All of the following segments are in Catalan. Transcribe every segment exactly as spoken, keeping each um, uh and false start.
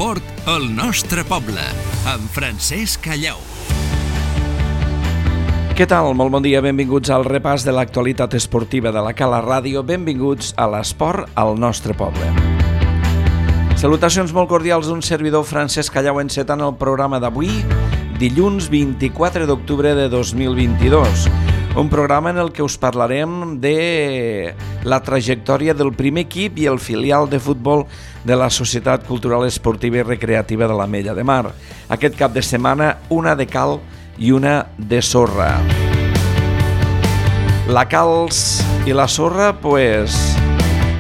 L'esport al nostre poble, amb Francesc Callau. Què tal? Molt bon dia, benvinguts al repàs de l'actualitat esportiva de la Cala Ràdio. Benvinguts a l'esport al nostre poble. Salutacions molt cordials d'un servidor, Francesc Callau, encetant el programa d'avui, dilluns vint-i-quatre d'octubre de dos mil vint-i-dos. Un programa en el que us parlarem de la trajectòria del primer equip i el filial de futbol de la Societat Cultural Esportiva i Recreativa de l'Ametlla de Mar. Aquest cap de setmana, una de cal i una de sorra. La calç i la sorra, pues,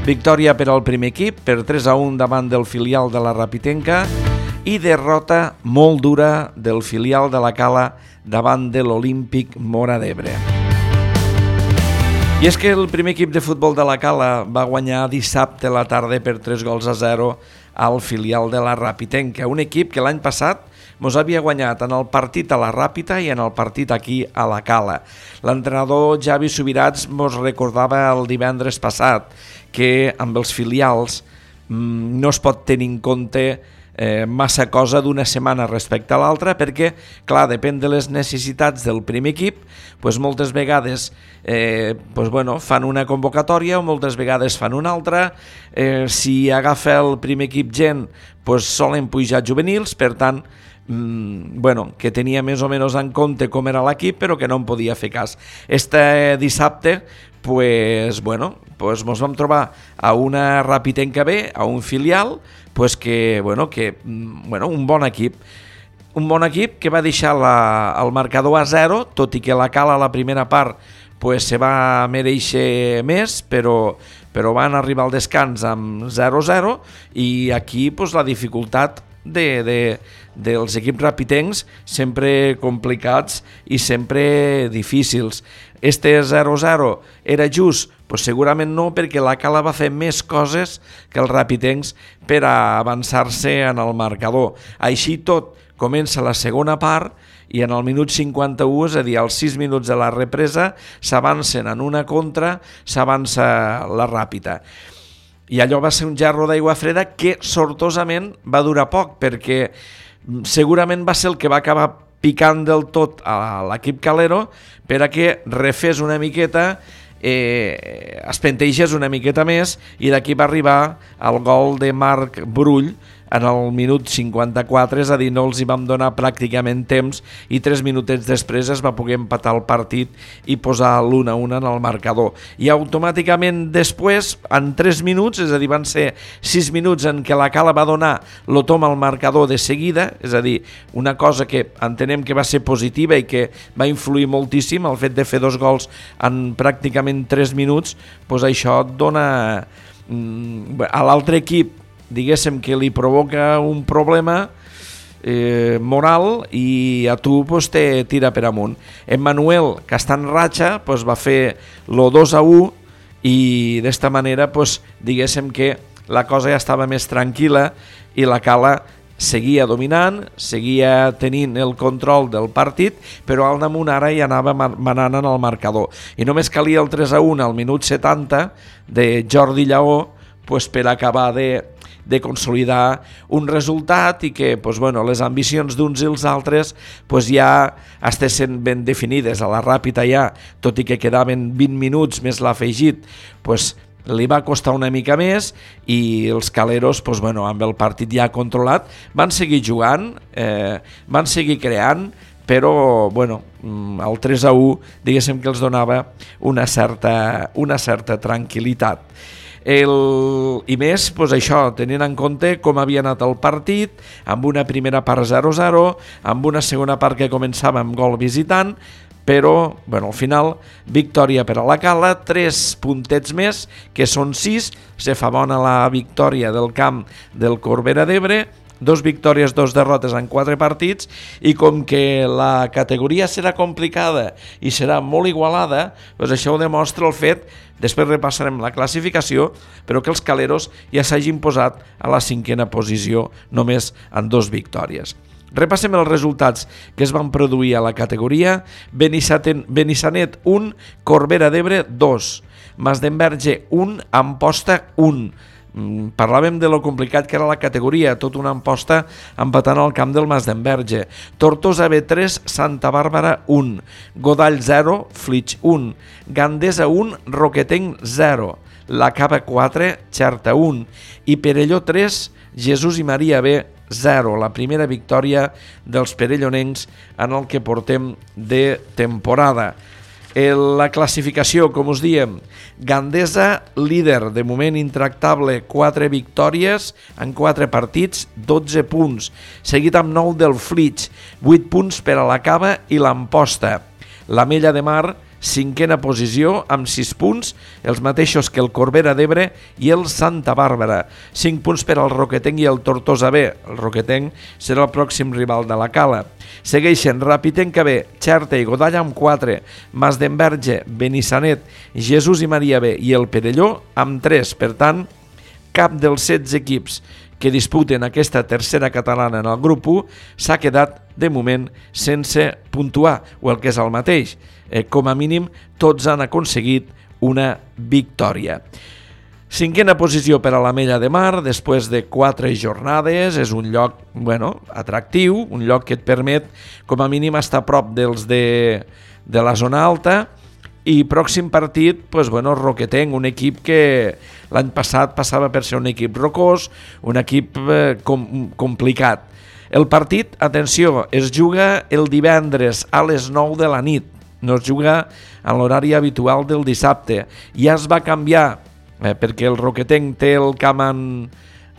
victòria per al primer equip, per tres a un davant del filial de la Rapitenca, i derrota molt dura del filial de la Cala davant de l'Olímpic Móra d'Ebre. I és que el primer equip de futbol de la Cala va guanyar dissabte a la tarda per tres gols a zero al filial de la Rapitenca, un equip que l'any passat mos havia guanyat en el partit a la Ràpita i en el partit aquí a la Cala. L'entrenador Javi Subirats mos recordava el divendres passat que amb els filials mmm, no es pot tenir en compte Eh, massa cosa d'una setmana respecte a l'altra, perquè, clar, depèn de les necessitats del primer equip, pues moltes vegades eh, pues bueno, fan una convocatòria o moltes vegades fan una altra. Eh, si agafa el primer equip gent, pues solen pujar juvenils, per tant, mm, bueno, que tenia més o menys en compte com era l'equip, però que no en podia fer cas. Este dissabte, pues, bueno, pues mos vam trobar a una Rapitenca B, a un filial, pues que, bueno, que, bueno, un bon equip. Un bon equip que va deixar la, el marcador a zero, tot i que la Cala a la primera part pues, se va mereixer més, però, però van arribar al descans amb zero a zero, i aquí pues, la dificultat de, de, dels equips rapitencs sempre complicats i sempre difícils. Este zero a zero era just? Pues segurament no, perquè la Cala va fer més coses que els rapitencs per a avançar-se en el marcador. Així tot, comença la segona part i en el minut cinquanta-u, és a dir, als sis minuts de la represa, s'avancen en una contra, s'avança la Ràpita. I allò va ser un gerro d'aigua freda que sortosament va durar poc, perquè segurament va ser el que va acabar picant del tot a l'equip calero per a que refés una miqueta, eh, es pentegés una miqueta més, i d'aquí va arribar el gol de Marc Brull en el minut cinquanta-quatre, és a dir, no els hi vam donar pràcticament temps, i tres minutets després es va poder empatar el partit i posar l'un a un en el marcador. I automàticament després, en tres minuts, és a dir, van ser sis minuts en què la Cala va donar lo tom al marcador de seguida, és a dir, una cosa que entenem que va ser positiva i que va influir moltíssim, el fet de fer dos gols en pràcticament tres minuts, doncs això et dona a l'altre equip, diguéssim que li provoca un problema eh, moral, i a tu pues, te tira per amunt. Emmanuel, que està en ratxa, pues, va fer lo dos a u, i d'esta manera pues, diguéssim que la cosa ja estava més tranquil·la i la Cala seguia dominant, seguia tenint el control del partit, però al damunt ara ja anava manant en el marcador. I només calia el tres a un al minut setanta de Jordi Lleó pues, per acabar de de consolidar un resultat i que pues, bueno, les ambicions d'uns i els altres pues, ja estessin ben definides. A la Ràpita ja, tot i que quedaven vint minuts més l'afegit, pues, li va costar una mica més, i els caleros, pues, bueno, amb el partit ja controlat, van seguir jugant, eh, van seguir creant, però bueno, el tres a u diguéssim que els donava una certa, una certa tranquil·litat. El, i més, doncs això, tenint en compte com havia anat el partit, amb una primera part zero a zero, amb una segona part que començava amb gol visitant, però bueno, al final victòria per a la Cala, tres puntets més, que són sis, se fa bona la victòria del camp del Corbera d'Ebre, dos victòries, dos derrotes en quatre partits, i com que la categoria serà complicada i serà molt igualada, doncs això ho demostra el fet, després repassarem la classificació, però que els caleros ja s'hagin posat a la cinquena posició només en dos victòries. Repassem els resultats que es van produir a la categoria. Benissanet un, Corbera d'Ebre dos, Masdenverge un, Amposta un, Parlàvem de lo complicat que era la categoria, tot una amposta empatant al camp del Mas d'Enverge. Tortosa B tres, Santa Bàrbara un, Godall zero, Flix un, Gandesa un, Roquetenc zero, La Cava quatre, Xerta un i Perelló tres, Jesús i Maria B zero, la primera victòria dels perellonencs en el que portem de temporada. La classificació, com us diem, Gandesa líder, de moment intractable, quatre victòries en quatre partits, dotze punts, seguit amb nou del Flix, vuit punts per a la Cava i l'Amposta. L'Amella de Mar, cinquena posició, amb sis punts, els mateixos que el Corbera d'Ebre i el Santa Bàrbara. cinc punts per al Roquetenc i el Tortosa B. El Roquetenc serà el pròxim rival de la Cala. Segueixen Rapitenca B, Xerta i Godall amb quatre, Mas d'Enverge, Benissanet, Jesús i Maria B i el Perelló amb tres. Per tant, cap dels setze equips que disputen aquesta tercera catalana en el grup u s'ha quedat, de moment, sense puntuar, o el que és el mateix. Eh, com a mínim, tots han aconseguit una victòria. Cinquena posició per a l'Amella de Mar, després de quatre jornades, és un lloc, bueno, atractiu, un lloc que et permet, com a mínim, estar a prop dels de, de la zona alta. I pròxim partit, pues, bueno, Roquetenc, un equip que l'any passat passava per ser un equip rocós, un equip eh, com, complicat. El partit, atenció, es juga el divendres a les nou de la nit, no es juga en l'horari habitual del dissabte. Ja es va canviar, eh, perquè el Roquetenc té el camp en,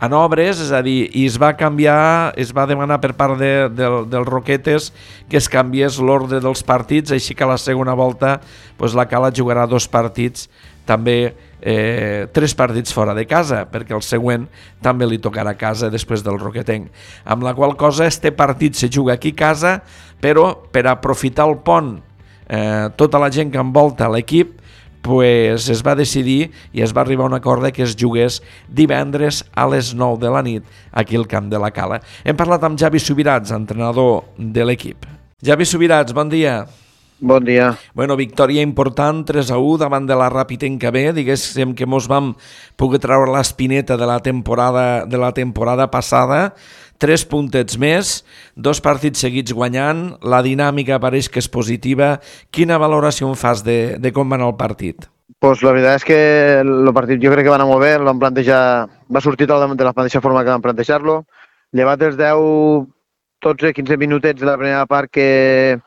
en obres, és a dir, i es va canviar, es va demanar per part de, de, dels Roquetes que es canviés l'ordre dels partits, així que a la segona volta pues, la Cala jugarà dos partits, també eh, tres partits fora de casa, perquè el següent també li tocarà a casa després del Roquetenc. Amb la qual cosa, este partit se juga aquí a casa, però per aprofitar el pont, eh, tota la gent que envolta l'equip, pues es va decidir i es va arribar a un acord que es jugués divendres a les nou de la nit aquí al camp de la Cala. Hem parlat amb Javi Subirats, entrenador de l'equip. Javi Subirats, bon dia. Bon dia. Bueno, victòria important, tres a u davant de la Rapitenca B, diguéssim que mos vam poder treure l'espineta de la temporada de la temporada passada, tres puntets més, dos partits seguits guanyant, la dinàmica pareix que és positiva. Quina valoració en fas de, de com va anar el partit? Pues la veritat és que el partit jo crec que va anar molt bé, vam plantejar, va sortir de la mateixa forma que vam plantejar-lo, llevat els deu, dotze, quinze minutets de la primera part que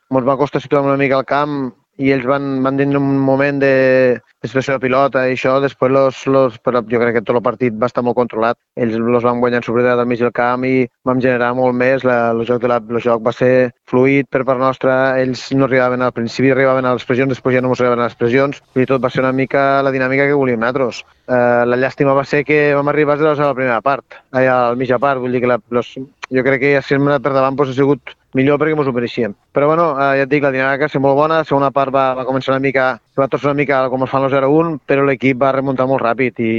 ens va costar situar una mica al camp i ells van, van tenir un moment de expressió de pilota i això, després los, los, però jo crec que tot el partit va estar molt controlat. Ells els van guanyar en superioritat al mig del camp i vam generar molt més, la, el, joc de la, el joc va ser fluid per part nostra, ells no arribaven al principi, arribaven a les pressions, després ja no ens arribaven a les pressions, i tot va ser una mica la dinàmica que volíem nosaltres. Uh, la llàstima va ser que vam arribar a la primera part, allà a la mitja part, vull dir que la, los, jo crec que si hem anat per davant doncs ha sigut millor perquè ens ho mereixíem. Però bueno, eh, ja et dic, la dinàmica va ser molt bona, la segona part va, va començar una mica, va tornar una mica com es fan el zero un, però l'equip va remuntar molt ràpid i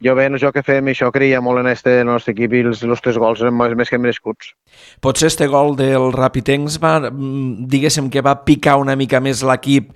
jo bé en el joc que fem això creia molt en este, el nostre equip i els, els tres gols eren més que merescuts. Potser este gol del Rapitencs va, diguéssim que va picar una mica més l'equip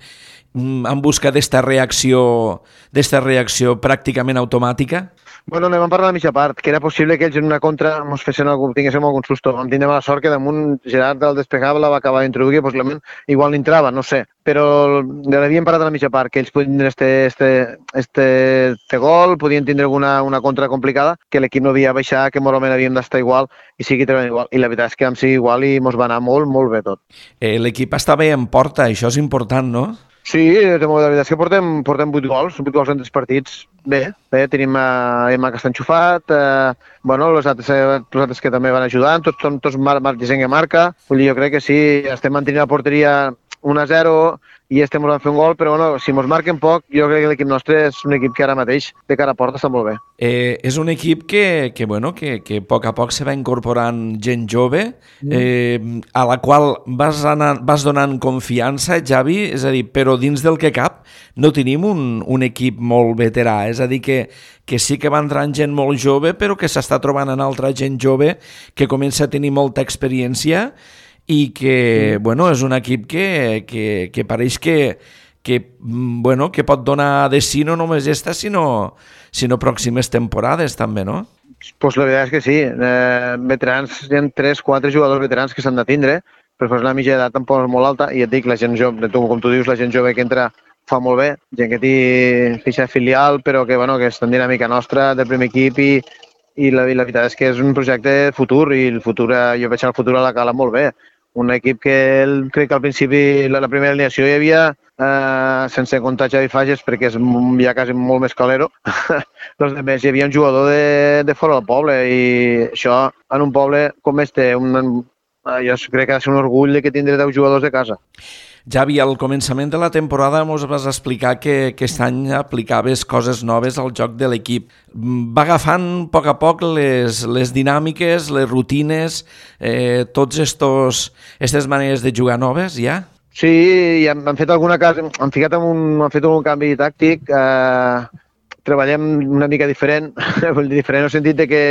en busca d'esta reacció, d'esta reacció pràcticament automàtica? Bueno, anem a parlar de la mitja part, que era possible que ells en una contra ens fessin algun, tinguéssim algun susto. Vam tindre la sort que damunt Gerard el despegava, la va acabar d'introduir, possiblement igual n'entrava, no sé. Però l'havíem parat a la mitja part, que ells podien tindre este, este, este, este gol, podien tindre alguna una contra complicada, que l'equip no havia baixat, que moralment havíem d'estar igual i sigui treballant igual. I la veritat és que vam ser igual i ens va anar molt, molt bé tot. Eh, l'equip està bé en porta, això és important, no? Sí, la veritat és que portem, portem vuit gols, vuit gols en tres partits. Bé, bé, tenim a Emma que està enxufat, eh, bueno, els altres, els altres que també van ajudant, tots són tots mar, mar, gent que marca. Vull dir, jo crec que sí, estem mantenint la porteria un a zero i estem volent fer un gol, però bueno, si ens marquen poc, jo crec que l'equip nostre és un equip que ara mateix, de cara a porta, està molt bé. Eh, és un equip que, que, bueno, que, que a poc a poc se va incorporant gent jove, eh, a la qual vas, anar, vas donant confiança, Javi, és a dir, però dins del que cap no tenim un, un equip molt veterà, és a dir, que, que sí que va entrant gent molt jove, però que s'està trobant en altra gent jove que comença a tenir molta experiència i que, bueno, és un equip que, que, que pareix que, que, bueno, que pot donar de sí no només esta, sinó, sinó pròximes temporades també, no? Pues la veritat és que sí. Eh, veterans, hi ha tres, quatre jugadors veterans que s'han de tindre, però la mitja d'edat tampoc és molt alta, i et dic, la gent jove, tu, com tu dius, la gent jove que entra fa molt bé, gent que té fitxa filial, però que, bueno, que és en dinàmica nostra, del primer equip, i, i, la, i la veritat és que és un projecte de futur, i el futur, jo veig el futur a la Cala molt bé. Un equip que el, crec que al principi, la, la primera alineació hi havia, eh, sense comptar Xavi Fages, perquè és ja quasi molt més calero, doncs a més hi havia un jugador de, de fora del poble, i això en un poble com este, un, jo crec que ha de ser un orgull de que tindré deu jugadors de casa. Javi, al començament de la temporada ens vas explicar que aquest any aplicaves coses noves al joc de l'equip. Va agafant a poc a poc les, les dinàmiques, les rutines, eh, tots estos, aquestes maneres de jugar noves, ja? Sí, i hem, hem fet alguna cosa, hem ficat en un, hem fet un canvi tàctic, eh, treballem una mica diferent, diferent en el sentit de que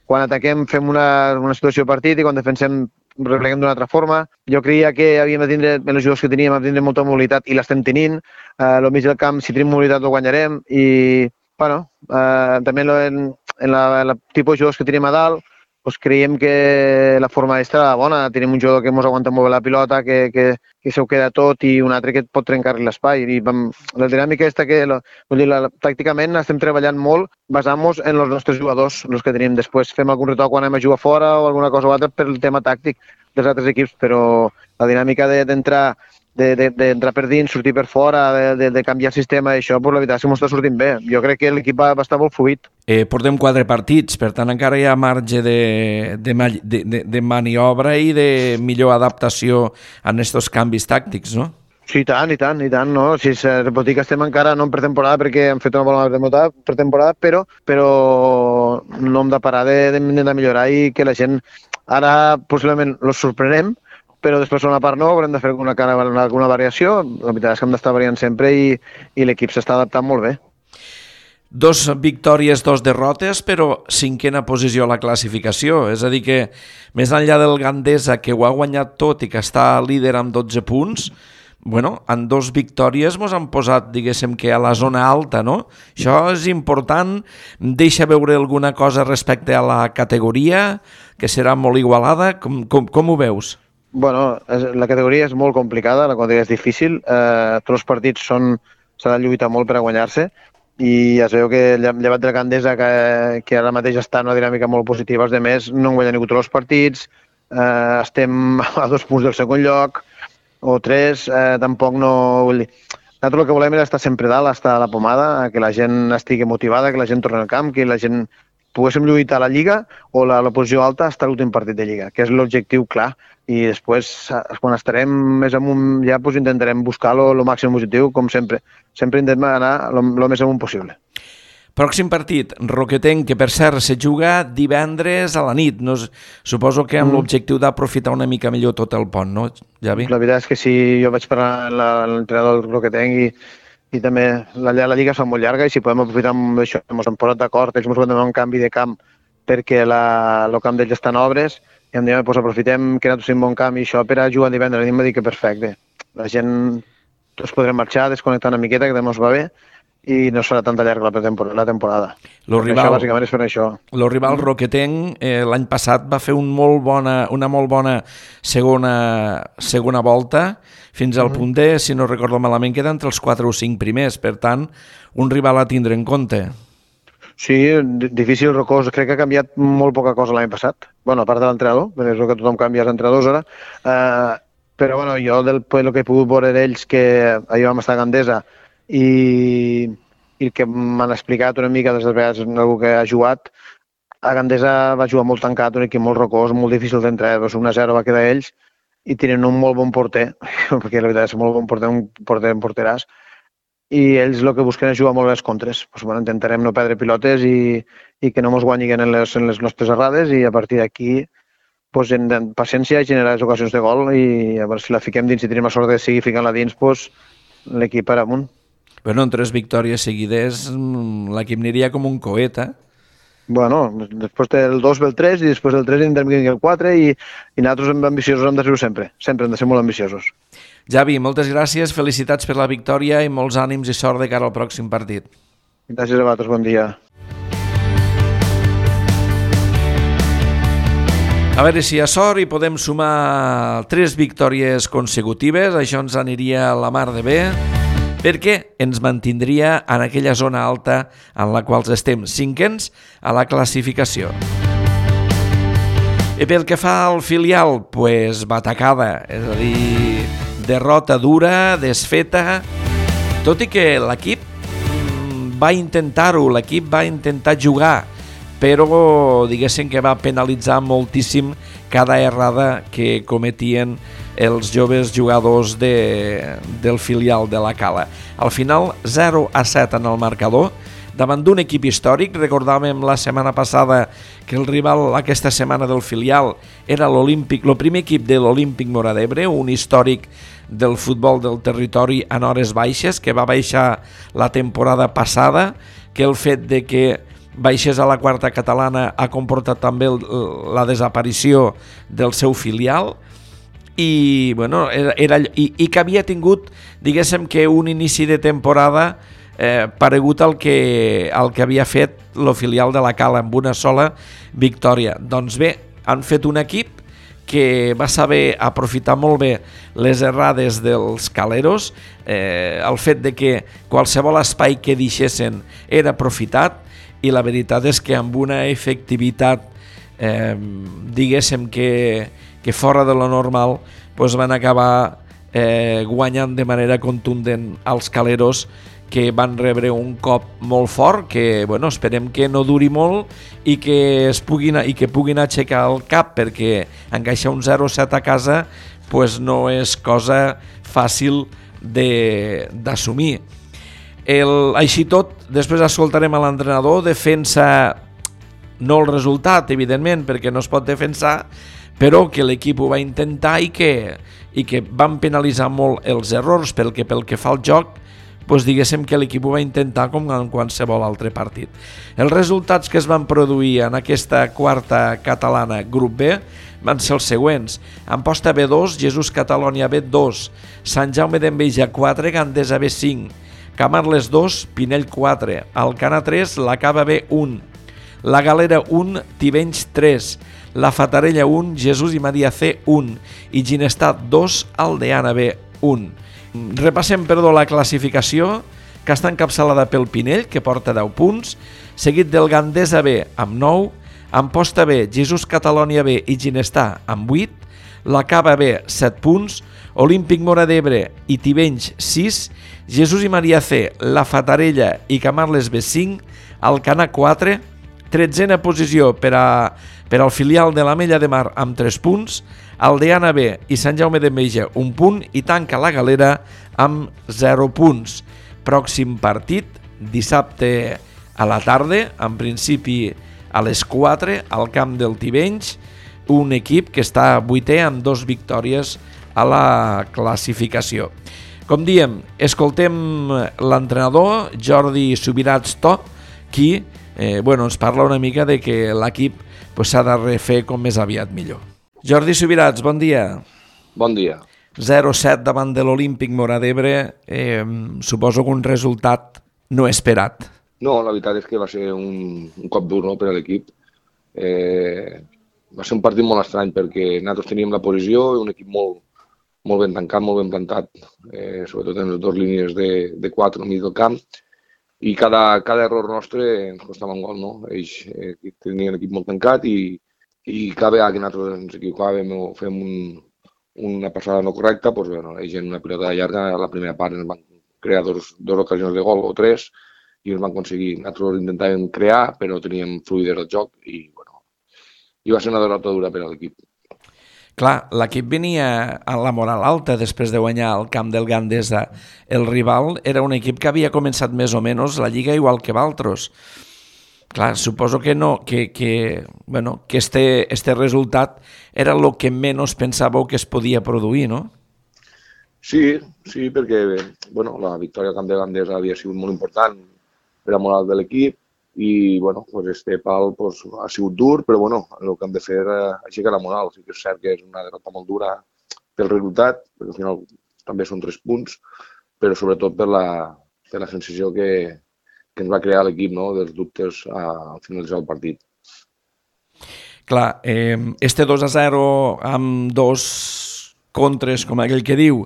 quan ataquem fem una, una situació de partit i quan defensem repleguem d'una altra forma. Jo creia que havíem de tindre, en els jugadors que teníem, de tindre molta mobilitat i l'estem tenint. Eh, al mig del camp, si tenim mobilitat, ho guanyarem. I, bueno, eh, també en, en la, la tipus de jugadors que tenim a dalt, doncs creiem que la forma d'estar era bona. Tenim un jugador que ens aguanta molt bé la pilota, que, que, que s'ho queda tot, i un altre que pot trencar-li l'espai. I vam, la dinàmica aquesta que, la, vull dir, la, tàcticament estem treballant molt basant-nos en els nostres jugadors, els que tenim. Després fem algun retoc quan anem a jugar fora o alguna cosa o altra per el tema tàctic dels altres equips, però la dinàmica d'entrar de, de, d'entrar per dins, sortir per fora, de, de, de canviar el sistema, això, pues, la veritat és que m'ho està sortint bé. Jo crec que l'equip va, va estar molt fluid. Eh, portem quatre partits, per tant encara hi ha marge de, de, de, de, de maniobra i de millor adaptació a aquests canvis tàctics, no? Sí, i tant, i tant, i tant, no? Si es pot dir que estem encara no en pretemporada perquè hem fet una bona pretemporada, però, però no hem de parar de, de, de millorar, i que la gent ara possiblement els sorprenem, però després una part no, haurem de fer alguna, alguna variació. La veritat és que hem d'estar variant sempre, i, i l'equip s'està adaptant molt bé. Dos victòries, dos derrotes, però cinquena posició a la classificació. És a dir que, més enllà del Gandesa, que ho ha guanyat tot i que està líder amb dotze punts, bueno, en dos victòries ens han posat, diguéssim, que a la zona alta, no? Això és important. Deixa veure alguna cosa respecte a la categoria, que serà molt igualada. Com, com, com ho veus? Bueno, la categoria és molt complicada, la categoria és difícil. Eh, tots els partits són, s'ha de lluitar molt per a guanyar-se, i es veu que llevat del Gandesa, que, que ara mateix està en una dinàmica molt positiva, els demés no han guanyat ningú tots els partits, eh, estem a dos punts del segon lloc, o tres, eh, tampoc no... Vull dir, nosaltres el que volem és estar sempre dalt, estar a la pomada, que la gent estigui motivada, que la gent torni al camp, que la gent poguéssim lluitar a la Lliga o la, la posició alta hasta l'últim partit de Lliga, que és l'objectiu clar. I després, quan estarem més amunt, ja pues, intentarem buscar el màxim positiu, com sempre. Sempre intentem anar el més amunt possible. Pròxim partit, Roquetenc, que per cert se juga divendres a la nit. No, suposo que amb mm. l'objectiu d'aprofitar una mica millor tot el pont, no, Javi? La veritat és que sí, jo vaig parlar amb l'entrenador del Roquetenc, i, i també la, la Lliga es fa molt llarga, i si podem aprofitar amb això, ens hem posat d'acord, ells ens van donar un canvi de camp perquè la, el camp d'ells està en obres, i em diuen, doncs aprofitem que nosaltres tenim bon camp i això per a jugar divendres. I em va dir que perfecte. La gent, tots podrem marxar, desconnectar una miqueta, que també ens va bé, i no serà tanta llarga la, temporada, la temporada. Lo rival, això, bàsicament, és per això. El rival Roquetenc eh, l'any passat va fer un molt bona, una molt bona segona, segona volta, fins al mm. punt de, si no recordo malament, queda entre els quatre o cinc primers. Per tant, un rival a tindre en compte. Sí, difícil, rocós. Crec que ha canviat molt poca cosa l'any passat. Bueno, a part de l'entrenador, perquè és el que tothom canvia els entrenadors ara. Uh, però bueno, jo del el que he pogut veure d'ells, que ahir vam estar a Gandesa, i, i el que m'han explicat una mica des de vegades algú que ha jugat, a Gandesa va jugar molt tancat, un equip molt rocós, molt difícil d'entrar, doncs un a zero va quedar ells, i tenen un molt bon porter, perquè la veritat és molt bon porter, un porter en porteràs, i ells el que busquen és jugar molt bé les contres. Pues, bueno, intentarem no perdre pilotes i, i que no ens guanyin en les, en les nostres errades, i a partir d'aquí pues, en, en paciència i generar les ocasions de gol, i a veure si la fiquem dins, si tenim la sort de seguir ficant-la dins, pues, l'equip per amunt. Bueno, en tres victòries seguides l'equip aniria com un coet, eh? Bueno, després del dos ve el tres, i després del tres tindrem que el quatre, i, i nosaltres ambiciosos hem de ser sempre. Sempre hem de ser molt ambiciosos. Javi, moltes gràcies, felicitats per la victòria i molts ànims i sort de cara al pròxim partit. Gràcies a vosaltres, bon dia. A veure si hi ha sort i podem sumar tres victòries consecutives, això ens aniria a la mar de bé, perquè ens mantindria en aquella zona alta en la qual estem cinquens a la classificació. I pel que fa al filial, pues batacada, és a dir, derrota dura, desfeta, tot i que l'equip va intentar-ho, l'equip va intentar jugar, però diguéssim que va penalitzar moltíssim cada errada que cometien els joves jugadors de, del filial de la Cala. Al final, zero a set en el marcador, davant d'un equip històric. Recordàvem la setmana passada que el rival aquesta setmana del filial era l'Olímpic, el primer equip de l'Olímpic Móra d'Ebre, un històric del futbol del territori en hores baixes, que va baixar la temporada passada, que el fet de que baixés a la quarta catalana ha comportat també el, la desaparició del seu filial i, bueno, era, era, i, i que havia tingut, diguéssim que un inici de temporada eh, paregut al que, al que havia fet el filial de la Cala amb una sola victòria. Doncs bé, han fet un equip que va saber aprofitar molt bé les errades dels caleros, eh, el fet de que qualsevol espai que deixessin era aprofitat, i la veritat és que amb una efectivitat, eh, diguéssim que, que fora de lo normal, doncs van acabar eh, guanyant de manera contundent als caleros, que van rebre un cop molt fort, que bueno, esperem que no duri molt i que, es puguin, i que puguin aixecar el cap, perquè encaixar un zero a set a casa pues no és cosa fàcil d'assumir. El, així tot, després escoltarem a l'entrenador, defensa no el resultat, evidentment, perquè no es pot defensar, però que l'equip ho va intentar i que, i que van penalitzar molt els errors, perquè pel que fa al joc, doncs diguéssim que l'equip ho va intentar com en qualsevol altre partit. Els resultats que es van produir en aquesta quarta catalana grup B van ser els següents. Amposta B dos, Jesús Catalònia B dos, Sant Jaume d'Enveja quatre, Gandesa B cinc, Camarles dos, Pinell quatre, Alcana tres, la Cava B un, la Galera un, Tivenys tres, la Fatarella un, Jesús i Maria C un i Ginestar dos, Aldeana B un. Repassem, perdó, la classificació, que està encapçalada pel Pinell, que porta deu punts, seguit del Gandesa B amb nou, Amposta B, Jesús Catalònia B i Ginestar amb vuit, la Cava B set punts, Olímpic Móra d'Ebre i Tivenys sis, Jesús i Maria C, la Fatarella i Camarles B cinc, Alcana quatre, tretzena posició per, a, per al filial de l'Ametlla de Mar amb tres punts, Aldeana B i Sant Jaume d'Enveja un punt i tanca la Galera amb zero punts. Pròxim partit, dissabte a la tarda, en principi a les quatre, al camp del Tivenys, un equip que està vuitè amb dos victòries a la classificació. Com diem, escoltem l'entrenador Jordi Subirats To, qui eh, bueno, ens parla una mica de que l'equip pues, s'ha de refer com més aviat millor. Jordi Subirats, bon dia. Bon dia. zero a set davant de l'Olímpic Móra d'Ebre, eh, suposo que un resultat no esperat. No, la veritat és que va ser un, un cop dur, no, per a l'equip. Eh, va ser un partit molt estrany perquè nosaltres teníem la posició i un equip molt, molt ben tancat, molt ben plantat, eh, sobretot en les dues línies de, de quatre al mig del camp, i cada, cada error nostre ens costava un gol, no? Ells eh, tenien l'equip molt tancat i, i cada vegada que nosaltres ens equivocàvem o fem un, una passada no correcta, doncs, bueno, ells en una pilota llarga, a la primera part ens van crear dos, dos ocasions de gol o tres i ens van aconseguir. Nosaltres intentàvem crear, però teníem fluïdesa del joc i, bueno, i va ser una derrota dura per a l'equip. Clar, l'equip venia a la moral alta després de guanyar el camp del Gandesa. El rival era un equip que havia començat més o menys la lliga igual que Valtros. Clar, suposo que no, que, que, bueno, que este, este resultat era el que menys pensàveu que es podia produir, no? Sí, sí, perquè bueno, la victòria al camp de Gandesa havia sigut molt important per a la moral de l'equip i bueno, pues este pal pues, ha sigut dur, però bueno, el que hem de fer és aixecar la moral. Sí que és cert que és una derrota molt dura pel resultat, perquè al final també són tres punts, però sobretot per la, per la sensació que, que ens va crear l'equip, no?, dels dubtes al finalitzar el partit. Clar, eh, este dos a zero amb dos contres, com aquell que diu,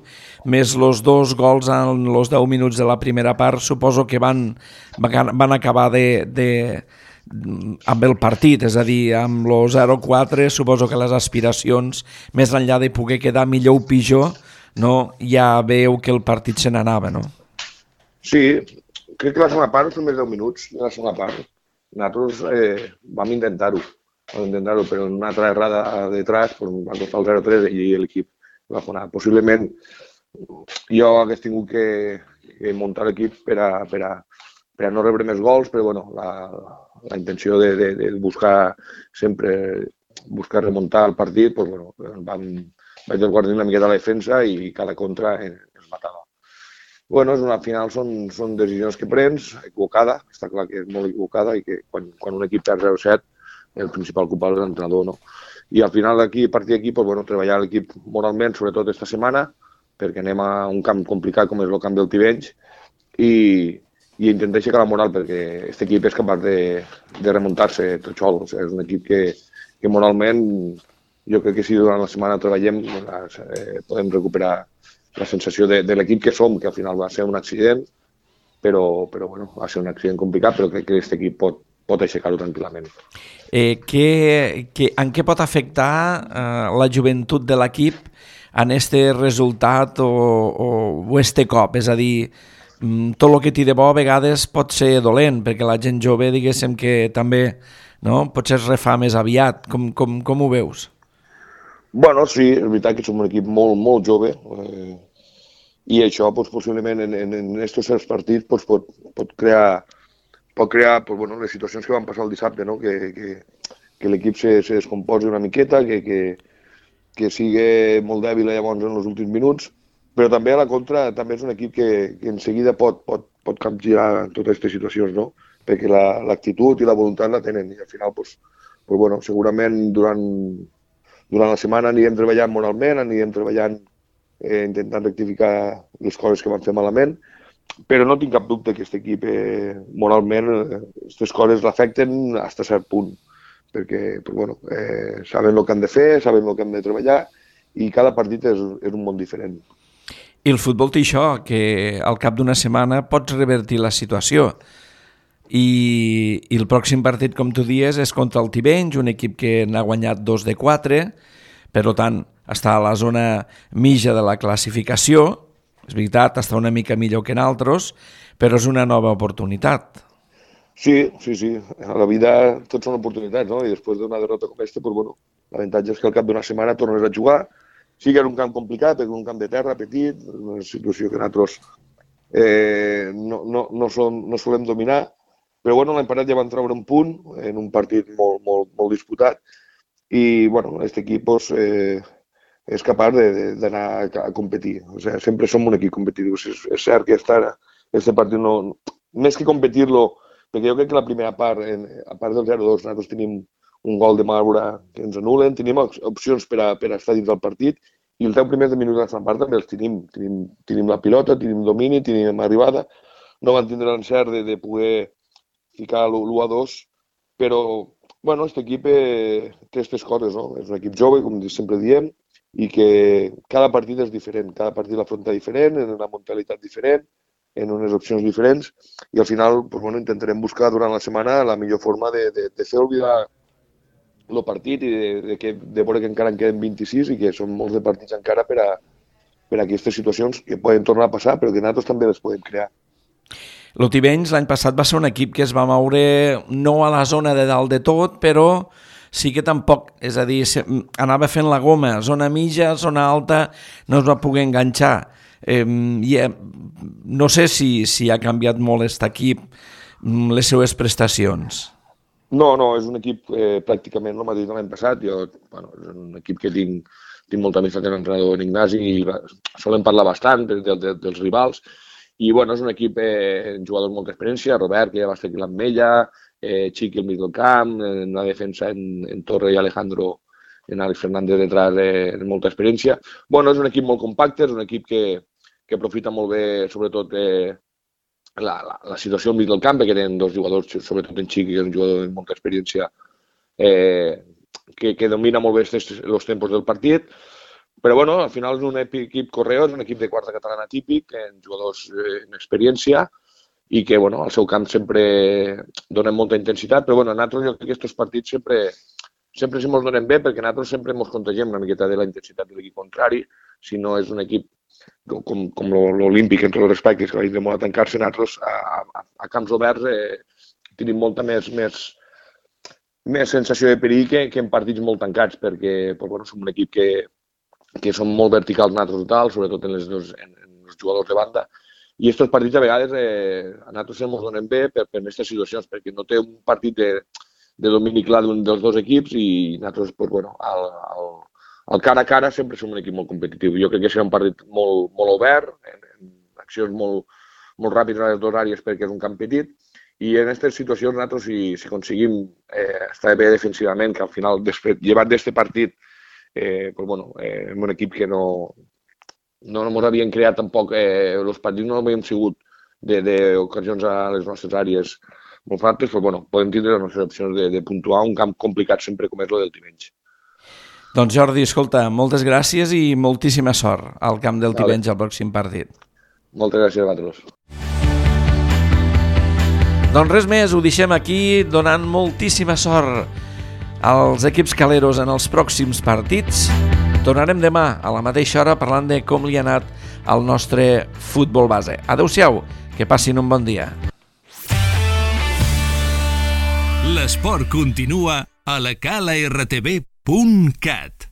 més els dos gols en els deu minuts de la primera part, suposo que van, van acabar de, de, amb el partit, és a dir, amb el zero quatre, suposo que les aspiracions, més enllà de poder quedar millor o pitjor, no, ja veu que el partit se n'anava, no? Sí, crec que la segona part, els primers deu minuts de la segona part, nosaltres eh, vam intentar-ho, vam intentar-ho, però en una altra errada detrás pues, van costar el zero tres i l'equip va fonar. Possiblement jo hagués tingut que, que muntar l'equip per a, per, a, per a no rebre més gols, però bueno, la, la intenció de, de, de buscar sempre buscar remuntar el partit, pues, bueno, vam, vaig desguardar una miqueta la defensa i cada contra ens matava. Bueno, al final són, són decisions que prens, equivocada, està clar que és molt equivocada i que quan, quan un equip perd zero set el principal culpable és l'entrenador, no? I al final d'aquí, a partir d'aquí, pues, bueno, treballar l'equip moralment, sobretot esta setmana, perquè anem a un camp complicat com és el camp del Tivenys i, i intentar aixecar la moral perquè aquest equip és capaç de, de remuntar-se tot sol. O sigui, és un equip que, que moralment jo crec que si durant la setmana treballem eh, podem recuperar la sensació de, de l'equip que som, que al final va ser un accident, però, però bueno, va ser un accident complicat, però crec que aquest equip pot, pot aixecar-ho tranquil·lament. Eh, que, que, en què pot afectar eh, la joventut de l'equip en este resultat o, o, o este cop? És a dir, tot el que té de bo a vegades pot ser dolent, perquè la gent jove, diguéssim que també, no? Potser es refà més aviat. Com, com, com ho veus? Bueno, sí, és veritat que som un equip molt, molt jove eh, i això pues, possiblement en, en, en estos certs partits pues, pot, pot crear, pot crear pues, bueno, les situacions que van passar el dissabte, no? que, que, que l'equip se, se descomposi una miqueta, que, que, que sigui molt dèbil llavors en els últims minuts, però també a la contra també és un equip que, que en seguida pot, pot, pot capgirar totes aquestes situacions, no? Perquè l'actitud i la voluntat la tenen i al final pues, pues, bueno, segurament durant Durant la setmana anirem treballant moralment, anirem treballant, eh, intentant rectificar les coses que van fer malament, però no tinc cap dubte que aquest equip eh, moralment aquestes eh, coses l'afecten fins a cert punt, perquè pues, bueno, eh, saben el que han de fer, saben el que han de treballar i cada partit és, és un món diferent. I el futbol té això, que al cap d'una setmana pots revertir la situació. I, i el pròxim partit, com tu dies, és contra el Tivenys, un equip que n'ha guanyat dos de quatre, per tant, està a la zona mitja de la classificació, és veritat, està una mica millor que en altres, però és una nova oportunitat. Sí, sí, sí, a la vida tot són oportunitats, no? I després d'una derrota com aquesta, pues, bueno, l'avantatge és que al cap d'una setmana tornes a jugar, sí que era un camp complicat, perquè un camp de terra petit, una situació que nosaltres eh, no, no, no, som, no solem dominar, però bueno, l'any passat ja van treure un punt en un partit molt, molt, molt disputat i bueno, aquest equip pues, eh, és capaç d'anar a competir. O sigui, sempre som un equip competitiu. És, és cert que aquest partit no... Més que competir-lo, perquè jo crec que la primera part, en, a part del zero dos, nosaltres tenim un gol de Maura que ens anulen, tenim opcions per a, per a estar dins del partit i els deu primers minuts de la segona part també els tenim. Tenim, tenim la pilota, tenim domini, tenim arribada. No van tindre l'encert de, de poder ficar l'u a dos, però bueno, aquest equip eh, té aquestes coses, no? És un equip jove, com sempre diem, i que cada partit és diferent, cada partit l'afronta diferent, en una mentalitat diferent, en unes opcions diferents, i al final pues, bueno, intentarem buscar durant la setmana la millor forma de, de, de fer oblidar el partit i de, de, que, de veure que encara en queden vint-i-sis i que són molts de partits encara per a, per a aquestes situacions que poden tornar a passar, però que nosaltres també les podem crear. El Tivenys l'any passat va ser un equip que es va moure no a la zona de dalt de tot, però sí que tampoc, és a dir, anava fent la goma, zona mitja, zona alta, no es va poder enganxar. Eh, i, eh, no sé si, si ha canviat molt aquest equip, les seues prestacions. No, no, és un equip eh, pràcticament el mateix de l'any passat. Jo, bueno, és un equip que tinc, tinc molta amistat amb l'entrenador en Ignasi i solem parlar bastant de, de, de, dels rivals. I bueno, és un equip eh, jugador amb molta experiència, Robert, que ja va estar aquí l'Ametlla, eh, Chiqui al mig del camp, en la defensa en, en Torre i Alejandro, en Alex Fernández detrás, eh, amb molta experiència. Bueno, és un equip molt compacte, és un equip que, que aprofita molt bé, sobretot, eh, la, la, la situació al mig del camp, que tenen dos jugadors, sobretot en Xiqui, que és un jugador de molta experiència, eh, que, que domina molt bé els tempos del partit. Però, bueno, al final és un equip Correo, és un equip de quarta catalana típic, amb jugadors eh, en experiència, i que, bueno, al seu camp sempre donen molta intensitat, però, bueno, nosaltres jo crec que aquests partits sempre, sempre se mos donen bé, perquè nosaltres sempre ens contagiem una miqueta de la intensitat de l'equip contrari, si no és un equip com, com l'Olímpic, en tots els respectes, que va de molt a tancar-se, nosaltres a, a, a camps oberts eh, tenim molta més, més, més sensació de perill que, que en partits molt tancats, perquè pues, bueno, som un equip que, que som molt verticals nosaltres total, sobretot en, les dos, en, en els jugadors de banda, i aquests partits a vegades eh, a nosaltres ens donen bé per, per aquestes situacions, perquè no té un partit de, de domini clar d'un dels dos equips i nosaltres, pues, bueno, al, al, al cara a cara sempre som un equip molt competitiu. Jo crec que serà un partit molt, molt obert, en, en accions molt, molt ràpides a les dues àrees perquè és un camp petit, i en aquestes situacions nosaltres, si, si aconseguim eh, estar bé defensivament, que al final, després, llevat d'aquest partit, eh, pues, bueno, eh, és un equip que no... no ens havien creat tampoc, eh, els partits no havíem sigut d'ocasions a les nostres àrees molt fortes, però bueno, podem tindre les nostres opcions de, de puntuar un camp complicat sempre com és el del Tivenys. Doncs Jordi, escolta, moltes gràcies i moltíssima sort al camp del Tivenys al pròxim partit. Moltes gràcies a vosaltres. Doncs res més, ho deixem aquí donant moltíssima sort als equips caleros en els pròxims partits. Tornarem demà a la mateixa hora parlant de com li ha anat al nostre futbol base. Adéu-siau, que passin un bon dia. L'esport continua a la cala r t v punt cat.